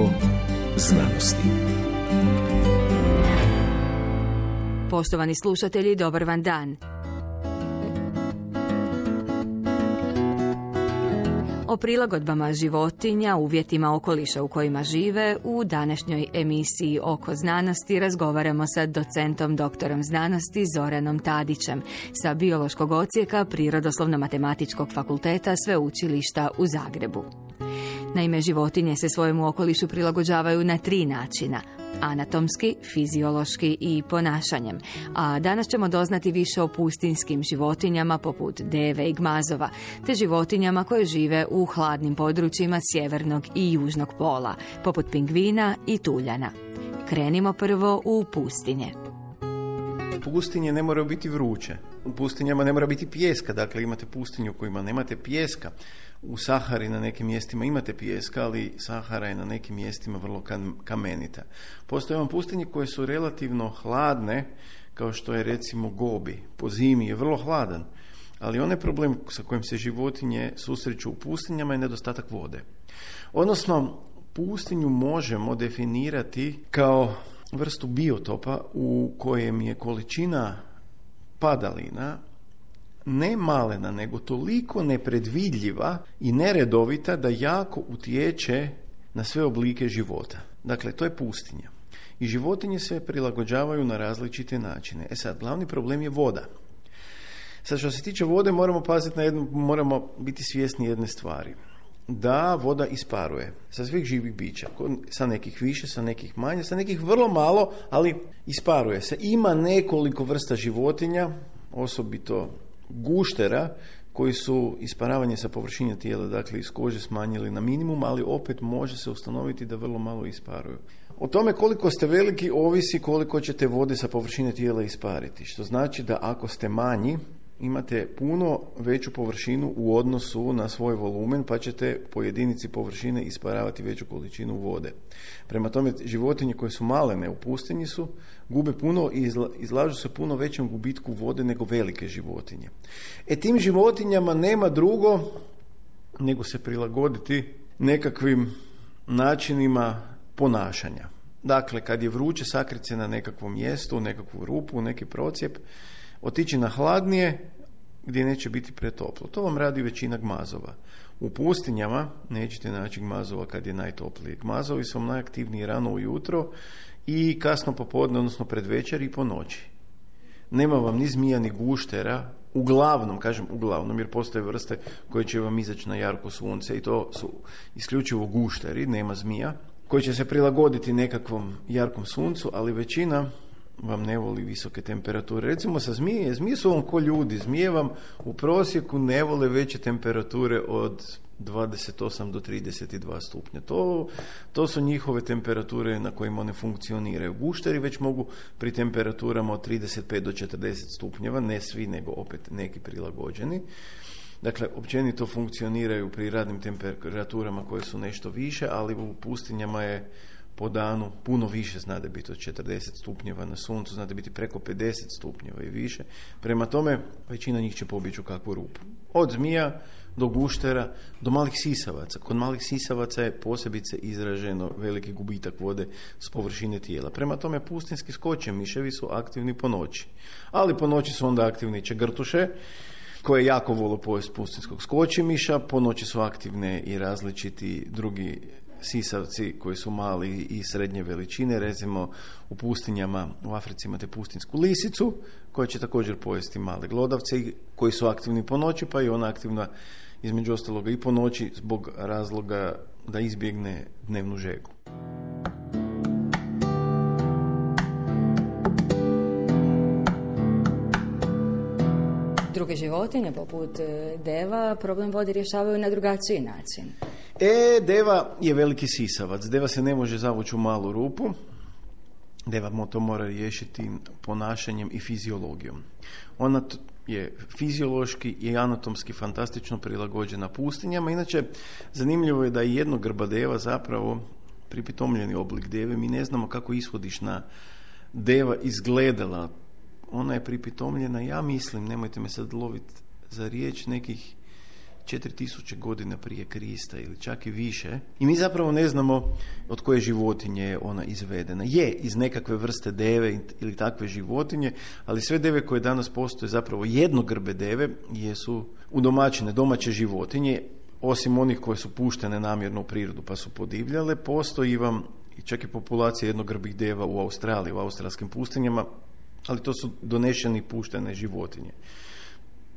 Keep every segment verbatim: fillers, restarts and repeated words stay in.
Oko znanosti. Poštovani slušatelji, dobar vam dan. O prilagodbama životinja, uvjetima okoliša u kojima žive, u današnjoj emisiji Oko znanosti razgovaramo sa docentom doktorom znanosti Zoranom Tadićem sa biološkog odsjeka Prirodoslovno-matematičkog fakulteta Sveučilišta u Zagrebu. Naime, životinje se svojemu okolišu prilagođavaju na tri načina: anatomski, fiziološki i ponašanjem. A danas ćemo doznati više o pustinjskim životinjama poput deve i gmazova, te životinjama koje žive u hladnim područjima sjevernog i južnog pola, poput pingvina i tuljana. Krenimo prvo u pustinje. Pustinje ne moraju biti vruće. U pustinjama ne mora biti pijeska, dakle imate pustinju u kojima nemate pijeska. U Sahari na nekim mjestima imate pijeska, ali Sahara je na nekim mjestima vrlo kamenita. Postoje vam pustinje koje su relativno hladne, kao što je recimo Gobi. Po zimi je vrlo hladan, ali onaj problem sa kojim se životinje susreću u pustinjama je nedostatak vode. Odnosno, pustinju možemo definirati kao vrstu biotopa u kojem je količina padalina ne malena, nego toliko nepredvidljiva i neredovita da jako utječe na sve oblike života. Dakle, to je pustinja. I životinje se prilagođavaju na različite načine. E sad, glavni problem je voda. Sad, što se tiče vode, moramo paziti na jednu, moramo biti svjesni jedne stvari. Da voda isparuje sa svih živih bića, sa nekih više, sa nekih manje, sa nekih vrlo malo, ali isparuje se. Ima nekoliko vrsta životinja, osobito guštera, koji su isparavanje sa površine tijela, dakle iz kože, smanjili na minimum, ali opet može se ustanoviti da vrlo malo isparuju. O tome koliko ste veliki ovisi koliko ćete vode sa površine tijela ispariti, što znači da ako ste manji, imate puno veću površinu u odnosu na svoj volumen, pa ćete po jedinici površine isparavati veću količinu vode. Prema tome, životinje koje su malene u pustinji su, gube puno i izla, izlažu se puno većem gubitku vode nego velike životinje. E tim životinjama nema drugo nego se prilagoditi nekakvim načinima ponašanja. Dakle, kad je vruće, sakriti se na nekakvom mjestu, nekakvu rupu, neki procijep, otići na hladnije gdje neće biti pretoplo. To vam radi većina gmazova. U pustinjama nećete naći gmazova kad je najtoplije. Gmazovi su najaktivniji rano ujutro i kasno popodne, odnosno pred večer i po noći. Nema vam ni zmija ni guštera, uglavnom, kažem uglavnom, jer postoje vrste koje će vam izaći na jarko sunce i to su isključivo gušteri, nema zmija, koji će se prilagoditi nekakvom jarkom suncu, ali većina vam ne voli visoke temperature. Recimo sa zmije, zmije su vam ko ljudi, zmije vam u prosjeku ne vole veće temperature od dvadeset osam do trideset dva stupnja. To, to su njihove temperature na kojima one funkcioniraju. Gušteri već mogu pri temperaturama od trideset pet do četrdeset stupnjeva, ne svi, nego opet neki prilagođeni. Dakle, općenito funkcioniraju pri radnim temperaturama koje su nešto više, ali u pustinjama je po danu puno više, zna da biti od četrdeset stupnjeva na suncu, zna da biti preko pedeset stupnjeva i više. Prema tome, većina njih će pobjeći u kakvu rupu. Od zmija do guštera, do malih sisavaca. Kod malih sisavaca je posebice izraženo veliki gubitak vode s površine tijela. Prema tome, pustinjski skočje miševi su aktivni po noći. Ali po noći su onda aktivni čegrtuše, koje jako vole pojest pustinjskog skočimiša. Po noći su aktivne i različiti drugi sisavci koji su mali i srednje veličine. Recimo u pustinjama u Africi imate pustinsku lisicu koja će također pojesti male glodavce koji su aktivni po noći, pa i ona aktivna između ostaloga i po noći zbog razloga da izbjegne dnevnu žegu. Druge životinje, poput deva, problem vode rješavaju na drugačiji način. E, deva je veliki sisavac. Deva se ne može zavući u malu rupu. Deva to mora riješiti ponašanjem i fiziologijom. Ona je fiziološki i anatomski fantastično prilagođena pustinjama. Inače, zanimljivo je da je jednogrba deva zapravo pripitomljeni oblik deve. Mi ne znamo kako ishodišna deva izgledala. Ona je pripitomljena, ja mislim, nemojte me sad loviti za riječ, nekih četiri tisuće godina prije Krista ili čak i više. I mi zapravo ne znamo od koje životinje je ona izvedena. Je iz nekakve vrste deve ili takve životinje, ali sve deve koje danas postoje zapravo jednogrbe deve jesu udomaćene domaće životinje, osim onih koje su puštene namjerno u prirodu pa su podivljale. Postoji vam i čak i populacija jednogrbih deva u Australiji, u australskim pustinjama, ali to su donešene i puštene životinje.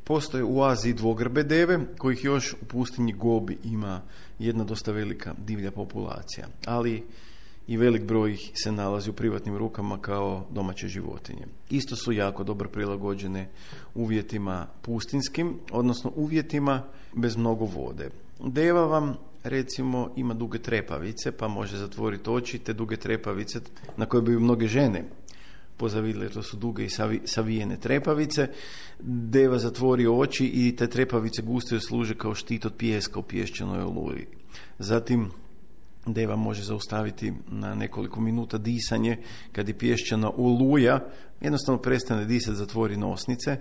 Postoje u Aziji dvogrbe deve, kojih još u pustinji Gobi ima jedna dosta velika divlja populacija, ali i velik broj ih se nalazi u privatnim rukama kao domaće životinje. Isto su jako dobro prilagođene uvjetima pustinskim, odnosno uvjetima bez mnogo vode. Deva vam, recimo, ima duge trepavice, pa može zatvoriti oči, te duge trepavice na koje bi mnoge žene pozavidile, to su duge i savi, savijene trepavice. Deva zatvori oči i te trepavice gusto služe kao štit od pijeska u pješčanoj oluji. Zatim deva može zaustaviti na nekoliko minuta disanje kad je pješčana oluja, jednostavno prestane disati, zatvori nosnice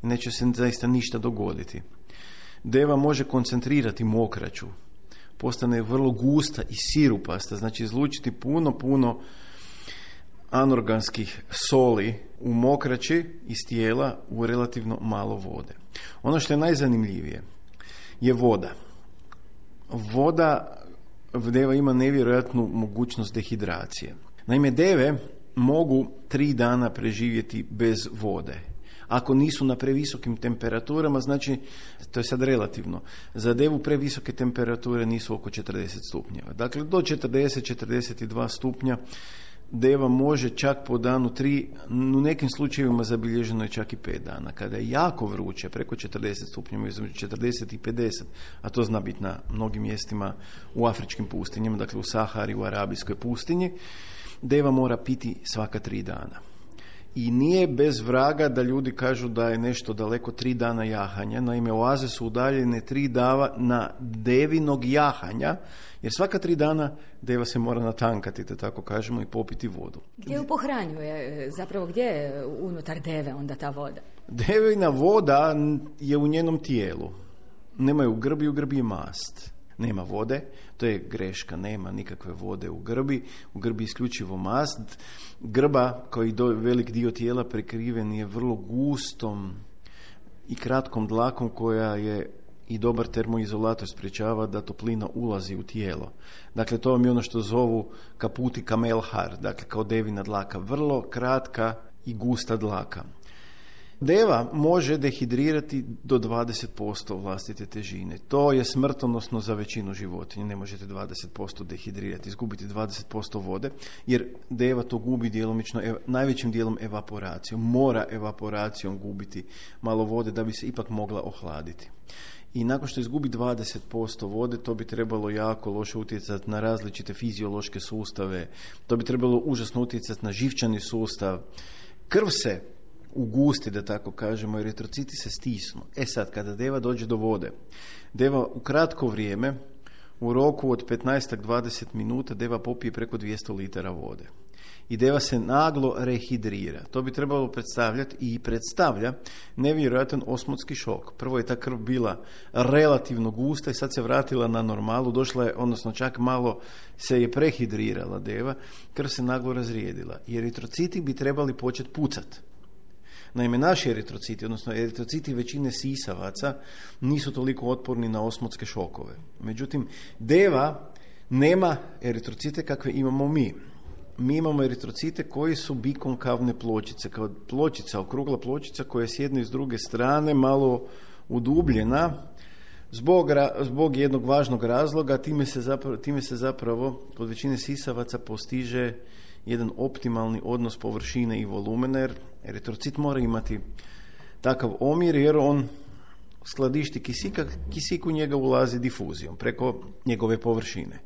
i neće se zaista ništa dogoditi. Deva može koncentrirati mokraću, postane vrlo gusta i sirupasta, znači izlučiti puno, puno anorganskih soli u mokraći iz tijela u relativno malo vode. Ono što je najzanimljivije je voda. Voda, deva ima nevjerojatnu mogućnost dehidracije. Naime, deve mogu tri dana preživjeti bez vode. Ako nisu na previsokim temperaturama, znači, to je sad relativno, za devu previsoke temperature nisu oko četrdeset stupnjeva. Dakle, do četrdeset do četrdeset dva stupnja deva može čak po danu tri, u nekim slučajevima zabilježeno je čak i pet dana. Kada je jako vruće, preko četrdeset stupnjeva, između četrdeset i pedeset, a to zna biti na mnogim mjestima u afričkim pustinjama, dakle u Sahari, u arabijskoj pustinji, deva mora piti svaka tri dana. I nije bez vraga da ljudi kažu da je nešto daleko tri dana jahanja. Naime, oaze su udaljene tri dana na devinog jahanja, jer svaka tri dana deva se mora natankati, da tako kažemo, i popiti vodu. Gdje ju pohranjuje? Zapravo gdje je unutar deve onda ta voda? Devina voda je u njenom tijelu. Nema je u grbi, u grbi je mast. Nema vode, to je greška, nema nikakve vode u grbi, u grbi isključivo mast. Grba, koji do, velik dio tijela prekriven, je vrlo gustom i kratkom dlakom koja je i dobar termoizolator, sprječava da toplina ulazi u tijelo. Dakle, to vam je ono što zovu kaputi kamelhar, dakle kao devina dlaka, vrlo kratka i gusta dlaka. Deva može dehidrirati do dvadeset posto vlastite težine. To je smrtonosno za većinu životinja. Ne možete dvadeset posto dehidrirati, izgubiti dvadeset posto vode, jer deva to gubi djelomično, ev, najvećim dijelom evaporacijom. Mora evaporacijom gubiti malo vode da bi se ipak mogla ohladiti. I nakon što izgubi dvadeset posto vode, to bi trebalo jako loše utjecati na različite fiziološke sustave, to bi trebalo užasno utjecati na živčani sustav. Krv se ugusti, da tako kažemo, eritrociti se stisnu. E sad, kada deva dođe do vode, deva u kratko vrijeme, u roku od petnaest do dvadeset minuta, deva popije preko dvjesto litara vode. I deva se naglo rehidrira. To bi trebalo predstavljati i predstavlja nevjerojatan osmotski šok. Prvo je ta krv bila relativno gusta i sad se vratila na normalu, došla je, odnosno čak malo se je prehidrirala deva, krv se naglo razrijedila. I eritrociti bi trebali početi pucati. Naime, naši eritrociti, odnosno eritrociti većine sisavaca, nisu toliko otporni na osmotske šokove. Međutim, deva nema eritrocite kakve imamo mi. Mi imamo eritrocite koji su bikonkavne pločice, kao pločica, okrugla pločica koja je s jedne i s druge strane malo udubljena, zbog, zbog jednog važnog razloga, time se, zapravo, time se zapravo kod većine sisavaca postiže jedan optimalni odnos površine i volumena, jer eritrocit mora imati takav omjer, jer on skladišti kisika, kisik u njega ulazi difuzijom preko njegove površine.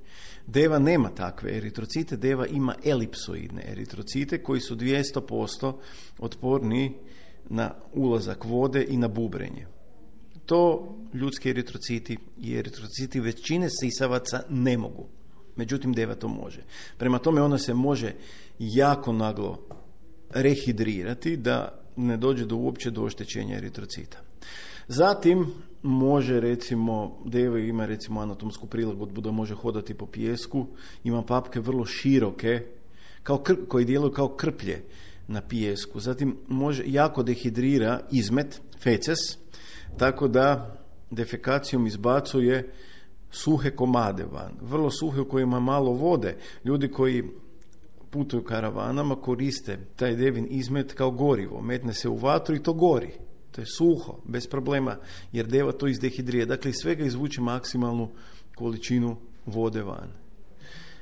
Deva nema takve eritrocite, deva ima elipsoidne eritrocite koji su dvjesto posto otporni na ulazak vode i na bubrenje. To ljudski eritrociti i eritrociti većine sisavaca ne mogu. Međutim, deva to može. Prema tome, ona se može jako naglo rehidrirati da ne dođe do uopće do oštećenja eritrocita. Zatim može recimo, deva ima recimo anatomsku prilagodbu da može hodati po pijesku, ima papke vrlo široke, kao kr, koji djeluju kao krplje na pijesku. Zatim može jako dehidrira izmet, feces, tako da defekacijom izbacuje suhe komade van, vrlo suhe u kojima malo vode. Ljudi koji putuju karavanama koriste taj devin izmet kao gorivo, metne se u vatru i to gori. To je suho, bez problema, jer deva to izdehidrije. Dakle, iz svega izvuče maksimalnu količinu vode van.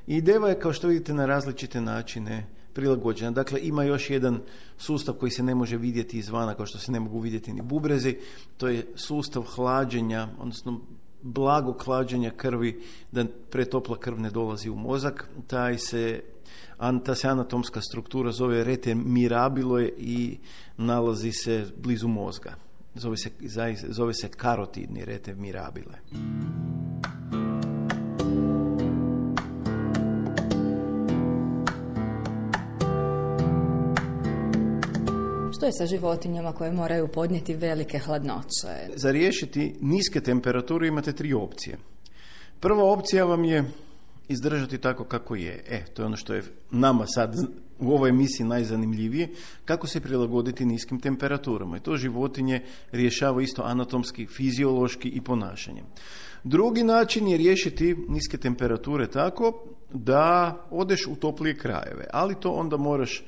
I deva je, kao što vidite, na različite načine prilagođena. Dakle, ima još jedan sustav koji se ne može vidjeti izvana, kao što se ne mogu vidjeti ni bubrezi. To je sustav hlađenja, odnosno blagog hlađenja krvi, da pretopla krv ne dolazi u mozak. Taj se, ta se anatomska struktura zove rete mirabile i nalazi se blizu mozga. Zove se, zove se karotidni rete mirabile. Što je sa životinjama koje moraju podnijeti velike hladnoće? Za riješiti niske temperature imate tri opcije. Prva opcija vam je izdržati tako kako je. E, to je ono što je nama sad u ovoj emisiji najzanimljivije, kako se prilagoditi niskim temperaturama. I to životinje rješava isto anatomski, fiziološki i ponašanjem. Drugi način je riješiti niske temperature tako da odeš u toplije krajeve, ali to onda moraš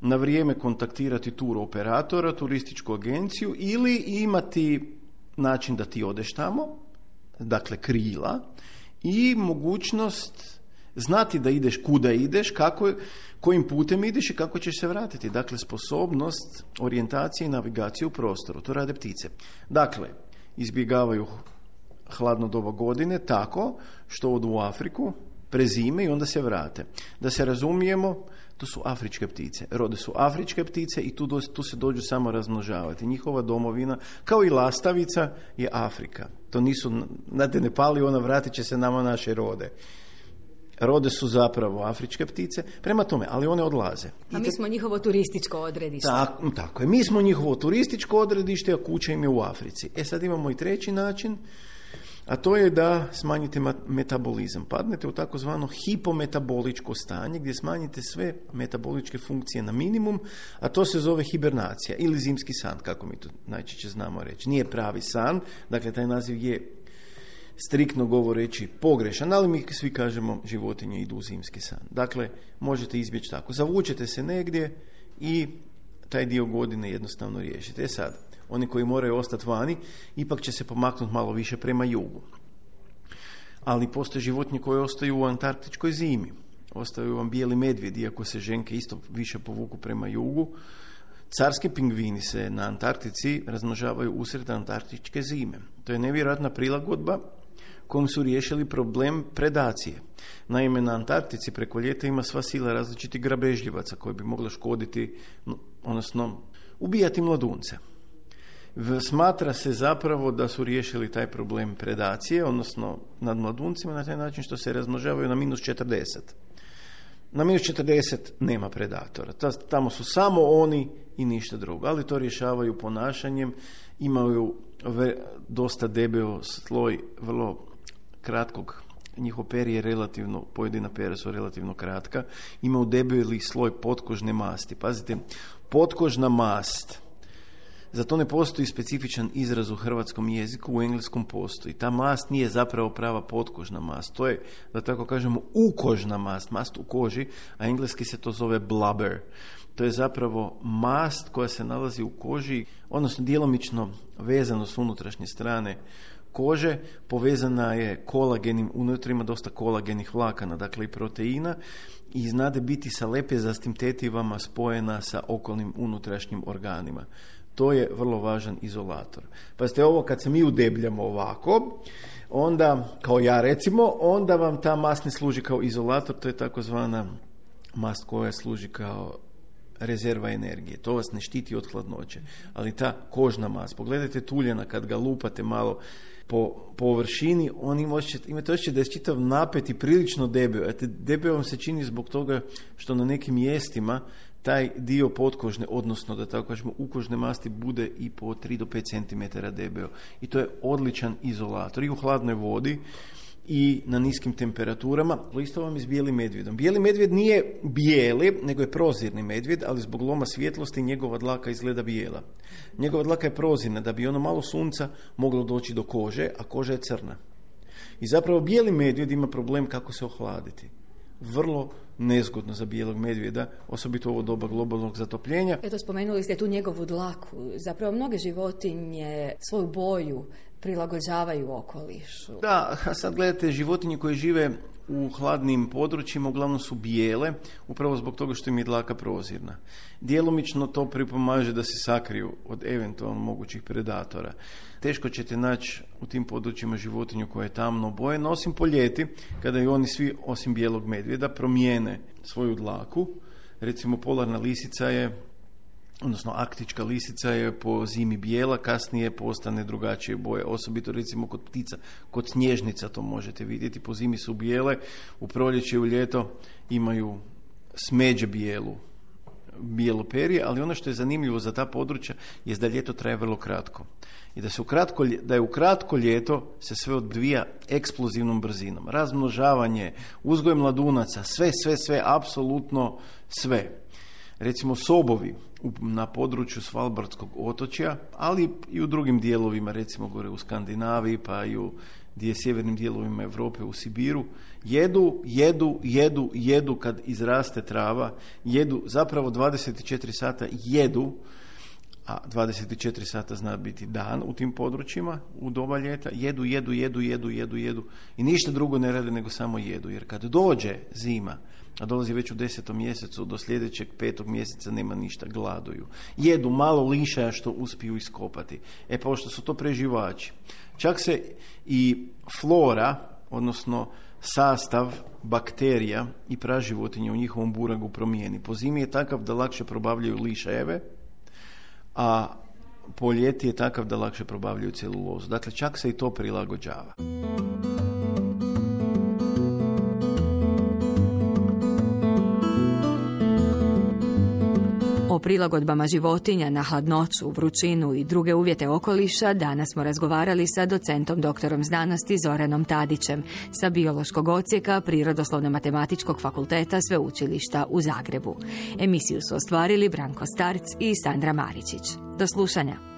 na vrijeme kontaktirati tur operatora, turističku agenciju ili imati način da ti odeš tamo, dakle krila, i mogućnost znati da ideš kuda ideš, kako, kojim putem ideš i kako ćeš se vratiti. Dakle, sposobnost orijentacije i navigacije u prostoru. To rade ptice. Dakle, izbjegavaju hladno doba godine tako što odu u Afriku, prezime i onda se vrate. Da se razumijemo, to su afričke ptice. Rode su afričke ptice i tu, do, tu se dođu samo razmnožavati. Njihova domovina, kao i lastavica, je Afrika. To nisu, znate, ne pali ona, vratit će se nama naše rode. Rode su zapravo afričke ptice, prema tome, ali one odlaze. A mi smo njihovo turističko odredište. Tako, tako je, mi smo njihovo turističko odredište, a kuća im je u Africi. E sad imamo i treći način, a to je da smanjite metabolizam. Padnete u takozvano hipometaboličko stanje gdje smanjite sve metaboličke funkcije na minimum, a to se zove hibernacija ili zimski san, kako mi to najčešće znamo reći. Nije pravi san, dakle taj naziv je striktno govoreći pogrešan, ali mi svi kažemo životinje idu u zimski san. Dakle, možete izbjeći tako. Zavučete se negdje i taj dio godine jednostavno riješite. E sad, oni koji moraju ostati vani, ipak će se pomaknuti malo više prema jugu. Ali postoje životinje koje ostaju u antarktičkoj zimi. Ostaju vam bijeli medvjedi, iako se ženke isto više povuku prema jugu. Carski pingvini se na Antarktici razmnožavaju usred antarktičke zime. To je nevjerojatna prilagodba kojom su riješili problem predacije. Naime, na Antarktici preko ljeta ima sva sila različitih grabežljivaca koji bi mogli škoditi, odnosno ubijati mladunce. Smatra se zapravo da su riješili taj problem predacije, odnosno nad mladuncima, na taj način što se razmnožavaju na minus četrdeset. Na minus četrdeset nema predatora. Tamo su samo oni i ništa drugo. Ali to rješavaju ponašanjem. Imaju dosta debeo sloj vrlo kratkog, njihov peri je relativno, pojedina pera su relativno kratka, imaju debeli sloj potkožne masti. Pazite, potkožna mast, za to ne postoji specifičan izraz u hrvatskom jeziku, u engleskom postoji. Ta mast nije zapravo prava potkožna mast, to je, da tako kažemo, ukožna mast, mast u koži, a engleski se to zove blubber. To je zapravo mast koja se nalazi u koži, odnosno djelomično vezano s unutrašnje strane kože, povezana je kolagenim, unutra ima dosta kolagenih vlakana, dakle i proteina, i znade biti sa lepezastim tetivama spojena sa okolnim unutrašnjim organima. To je vrlo važan izolator. Pazite, ovo kad se mi udebljamo ovako, onda, kao ja recimo, onda vam ta mast ne služi kao izolator, to je takozvana mast koja služi kao rezerva energije. To vas ne štiti od hladnoće. Ali ta kožna mast, pogledajte tuljana kad ga lupate malo po površini, on ima osjećaj, imate osjećaj da je čitav napet i prilično debeo. A te debeo vam se čini zbog toga što na nekim mjestima taj dio potkožne, odnosno da tako kažemo ukožne masti, bude i po tri do pet centimetara debeo. I to je odličan izolator i u hladnoj vodi i na niskim temperaturama. Isto vam je s bijelim medvjedom. Bijeli medvjed nije bijeli, nego je prozirni medvjed, ali zbog loma svjetlosti njegova dlaka izgleda bijela. Njegova dlaka je prozirna, da bi ono malo sunca moglo doći do kože, a koža je crna. I zapravo bijeli medvjed ima problem kako se ohladiti. Vrlo nezgodno za bijelog medvjeda, osobito u ovo doba globalnog zatopljenja. Eto, spomenuli ste tu njegovu dlaku. Zapravo mnoge životinje svoju boju prilagođavaju okolišu. Da, a sad gledate, životinje koje žive u hladnim područjima uglavnom su bijele, upravo zbog toga što im je dlaka prozirna. Djelomično to pripomaže da se sakriju od eventualno mogućih predatora. Teško ćete naći u tim područjima životinju koja je tamno obojena, osim po ljeti, kada i oni svi, osim bijelog medvjeda, promijene svoju dlaku. Recimo, polarna lisica je, odnosno arktička lisica je po zimi bijela, kasnije postane drugačije boje, osobito recimo kod ptica, kod snježnica to možete vidjeti, po zimi su bijele, u proljeće i u ljeto imaju smeđe bijelu, bijelo perje, ali ono što je zanimljivo za ta područja je da ljeto traje vrlo kratko. I da, se u kratko, da je u kratko ljeto se sve odvija eksplozivnom brzinom. Razmnožavanje, uzgoj mladunaca, sve, sve, sve, apsolutno sve. Recimo sobovi na području Svalbardskog otočja, ali i u drugim dijelovima, recimo gore u Skandinaviji, pa i u gdje je sjevernim dijelovima Europe, u Sibiru, jedu, jedu, jedu, jedu kad izraste trava, jedu zapravo dvadeset četiri sata jedu, a dvadeset četiri sata zna biti dan u tim područjima, u doba ljeta, jedu, jedu, jedu, jedu, jedu, jedu i ništa drugo ne rade nego samo jedu, jer kad dođe zima, a dolazi već u desetom mjesecu, do sljedećeg petog mjeseca nema ništa, gladuju. Jedu malo lišaja što uspiju iskopati. E pa što su to preživači. Čak se i flora, odnosno sastav bakterija i praživotnje u njihovom buragu promijeni. Po zimi je takav da lakše probavljaju lišajeve, a po ljeti je takav da lakše probavljaju celulozu. Dakle, čak se i to prilagođava. O prilagodbama životinja na hladnoću, vrućinu i druge uvjete okoliša danas smo razgovarali sa docentom doktorom znanosti Zoranom Tadićem sa biološkog odsjeka Prirodoslovno-matematičkog fakulteta Sveučilišta u Zagrebu. Emisiju su ostvarili Branko Starc i Sandra Maričić. Do slušanja.